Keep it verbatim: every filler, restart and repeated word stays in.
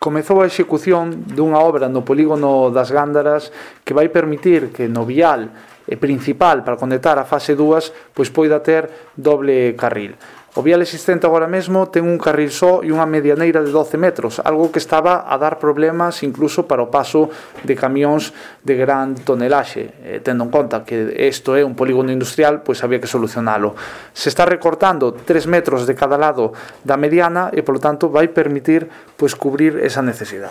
comezou a execución dunha obra no polígono das Gándaras que vai permitir que no vial principal para conectar a fase dúas pois poida ter doble carril. O vial existente agora mesmo ten un carril só e unha medianeira de doce metros, algo que estaba a dar problemas incluso para o paso de camións de gran tonelaxe. Eh, tendo en conta que isto é un polígono industrial, pois había que solucionalo. Se está recortando tres metros de cada lado da mediana e, polo tanto, vai permitir pois cubrir esa necesidade.